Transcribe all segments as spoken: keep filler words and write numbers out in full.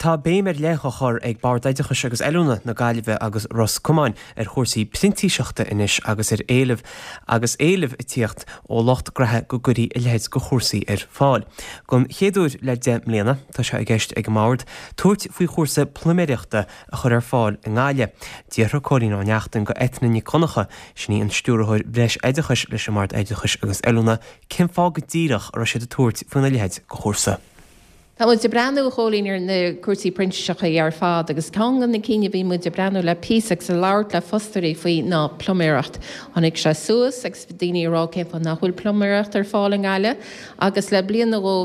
Tá béim ar leith á chur ag Bord Oideachais agus Oiliúna na Gaillimhe agus Ros Comáin ar chúrsaí printíseachta anois agus ar éileamh agus éileamh ag tíocht ó lucht graithe go gcuirí a leithéid de chúrsaí ar fáil. Don chéad uair le deich mbliana tá sé i gceist ag an mbord tabhairt faoi chúrsa pluiméireachta a chur ar fáil i nGaillimh. D'fhiafraigh Cóilín Ó Neachtain de Eithne Nic Dhonncha, sin í an stiúrthóir breis oideachais leis an mBord Oideachais agus Oiliúna, cén fáth go díreach a raibh siad ag tabhairt faoina leithéid de chúrsa. Tá muid ag breathnú a Chóilín ar na cúrsaí printíseachta ar fad agus ceann de na cinn a bhí muid ag breathnú le píosa agus ag labhairt le fostóirí faoi ná pluiméireacht. Tháinig sé suas agus daoine ag rá cén fáth nach bhfuil pluiméireacht ar fáil i nGaillimh agus le bliain nó dhó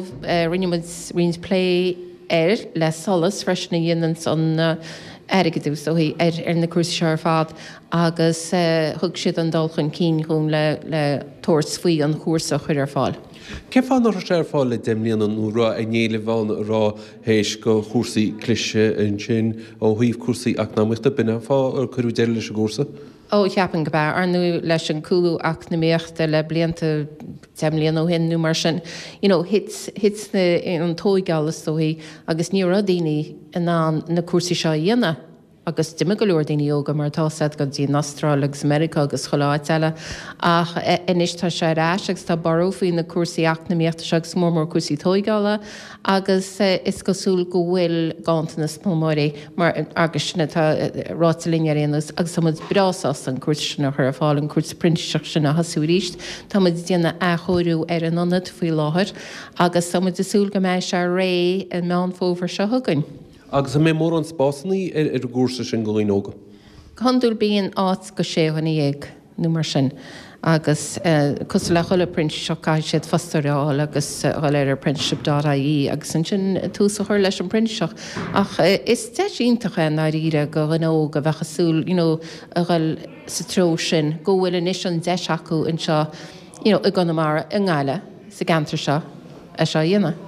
rinne muid roinnt plé air le SOLAS freisin a dhéanann an airgeadú is dóichí ar ar na cúrsaí seo ar fad agus thug siad an dul chun cinn dhúinn le le tabhairt faoi an chúrsa a chur ar fáil. Cén fáth nach raibh sé ar fáil le deich mbliana nó raibh an éileamh ann a raibh théis go chúrsaí cliseadh ansin ó thaobh cúrsaí eacnamaíochta, b'in an fáth ar cuireadh deireadh leis an gcúrsa? Ó, cheapfainn go b'ea, ar ndóigh leis an cúlú eacnamaíochta le blianta, deich mbliana ó shin nó mar sin, you know, thit, thit na, an tóigeáil is dóichí agus ní raibh daoine in ann na cúrsaí seo a dhéanamh agus d'imigh go leor daoine óga mar atá 'fhios a'd go dtí an Astráil agus Meiriceá agus chuile áit eile ach anois tá sé ar ais agus tá borradh faoi na cúrsaí eacnamaíochta seo agus mór mór cúrsaí tóigeála agus is cosúil go bhfuil ganntanas pluiméirí mar agus sin atá ráite linn ar aon nós agus tá muid breá sásta an cúrsa sin a chur ar fáil, an cúrsa printíseachta sin a thosú arís. Tá muid ag déanamh athchóiriú ar an ionad faoi láthair agus tá muid ag súil go mbeidh sé réidh i Meán Fómhair seo chugainn. Agus an mbeidh mórán spásanna ar an gcúrsa sin do dhaoine óga? Go hiondúil bíonn áit go sé dhuine dhéag nó mar sin agus cosúil le chuile printíseach caithfidh siad fostóir a fháil agus a dhul ar apprenticeship dot ie agus ansin tús a chur leis an bprintíseach. Ach is deis iontach é i ndáiríre go dhuine óg a bheadh ag súil you know a dhul sa treo sin go bhfuil anois an deis acu anseo you know i gConamara, i nGaillimh, sa gceantar seo é seo a dhéanamh.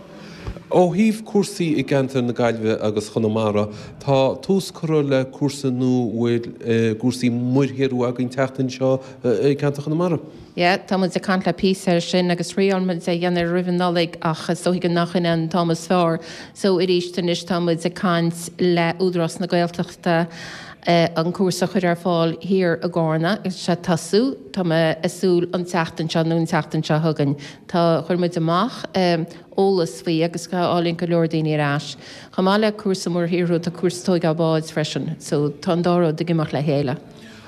Ó thaobh cúrsaí i gceantar na Gaillimhe agus Chonamara, tá tús curtha le cúrsa nua bhfuil cúrsaí muirshaothrú againn teacht anseo i gceantar Chonamara. Yeah, tá muid ag caint le píosa air sin agus thriáil muid é a dhéanamh roimh an Nollaig ach is dóigh nach in an t-am is fearr. So arís anois tá muid ag caint le Údarás na Gaeltachta an cúrsa a chur ar fáil thiar i gCarna agus sé tosú, tá mé ag súil an tseachtain seo nó an tseachtain seo chugainn. Tá, chuir muid amach eolas faoi agus tháinig go leor daoine ar ais. Chomh maith le cúrsa muirshaothrú tá cúrsa tóigeáil báid freisin so tá an dá rud ag imeacht le chéile.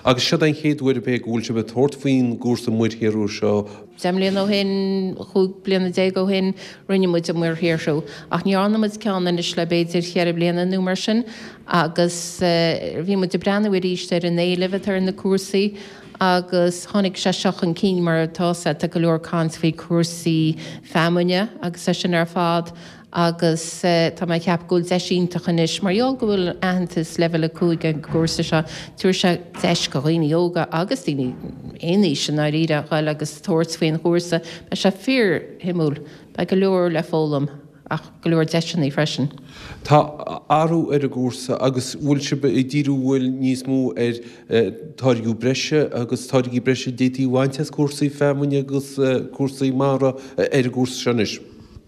Agus seo den chéad uair ab é go bhfuil sibh ag tabhairt faoin gcúrsa muirshaothrú seo? Deich mbliana ó shin, chúig bliana déag ó shin, rinne muid an muirshaothrú ach ní dhearna muid ceann anois le b'fhéidir cheithre bliana nó mar sin agus bhí muid ag breathnú arís ar an éileamh atá ar na cúrsaí Agus tháinig sé seo chun cinn mar atá 'fhios a'd, tá go leor caint faoi cúrsaí feamainne agus é sin ar fad agus tá mé ag ceapadh go bhfuil deis iontach anois mar gheall go bhfuil aitheantas leibhéal a cúig ag an gcúrsa seo, tabharfaidh sé deis go dhaoine óga agus daoine aon aois i ndáiríre a ghoil agus tabhairt faoin chúrsa. Beidh sé fíor-shuimiúil, beidh go leor le foghlaim. ach go leor deiseanna freisin. Tá athrú ar an gcúrsa agus bhfuil sibh ag díriú bhfuil níos mó ar táirgiú breise agus táirgí breise a d'fhéadfaí a bhaint as cúrsaí feamainne agus cúrsaí mara ar an gcúrsa seo anois?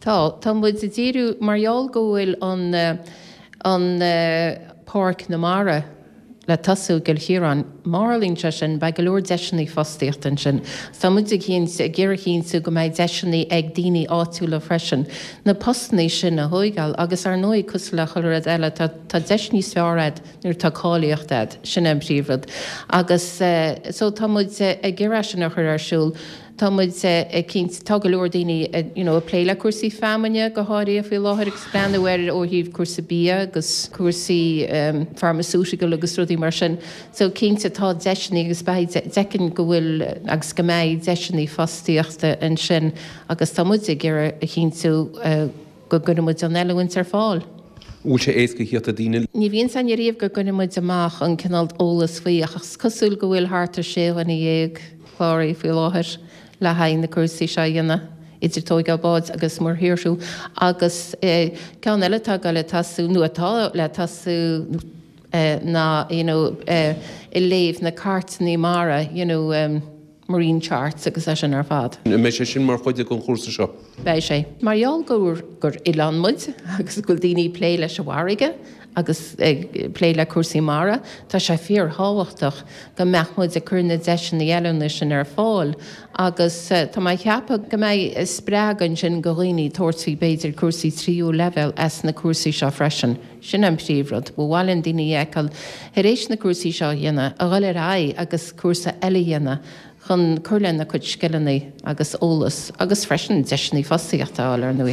Tá. Tá muid ag díriú, mar gheall go bhfuil an an Páirc na Mara, le tosú i gCill Chiaráin. Má tharlaíonn sé sin, beidh go leor deiseanna fostaíochta ansin. Tá muid ag ag iarraidh a chinntiú go mbeidh deiseanna ag daoine áitiúla freisin na postanna sin a thóigeáil agus ar ndóigh, cosúil le chuile rud eile, tá tá deis níos fearr a'd nuair atá cáilíocht a'd, sin é an príomhrud. Agus so tá muid ag iarraidh sin a chur ar siúl. Tá muid ag cinnte, tá go leor daoine you know ag plé le cúrsaí feamainne go háirithe faoi láthair agus breathnú air ó thaobh cúrsa bia agus cúrsaí pharmaceutical agus rudaí mar sin. So cinnte tá deiseanna agus beidh, d'fheicfinn go bhfuil agus go mbeidh deiseanna fostaíochta ansin agus tá muid ag iarraidh a chinntiú go gcuireann muid an oiliúint ar fáil. Bhfuil sé éasca a theacht ar daoine? Ní bhíonn 's againn ariamh go gcuireann muid amach an cineál eolas faoi ach is cosúil go bhfuil thart ar sé dhuine dhéag cláraithe faoi láthair le haghaidh na cúrsaí seo a dhéanamh, idir tóigeáil báid agus muirshaothrú agus ceann eile atá ag dul le tosú, nó atá le tosú ná you know ag léamh na cairteanna mara you know. marine charts agus é sin ar fad. An mbeidh sé sin mar chuid den chúrsa seo? Beidh sé. Mar gheall gur gur oileán muid agus go bhfuil daoine ag plé leis an bhfarraige agus ag plé le cúrsaí mara, tá sé fíorthábhachtach go mbeadh muid ag cur na deiseanna oiliúna sin ar fáil agus tá mé ag ceapadh go mbeidh spreagadh ansin go dhaoine tabhairt faoi b'fhéidir cúrsaí tríú leibhéal as na cúrsaí seo freisin. Sin an príomhrud. Ba mhaith linn daoine a fheiceáil tar éis na cúrsaí seo a dhéanamh, a dhul ar aghaidh agus cúrsa eile a dhéanamh chun cur lena gcuid scileanna agus eolas agus freisin deiseanna fostaíochta a fháil ar ndóigh.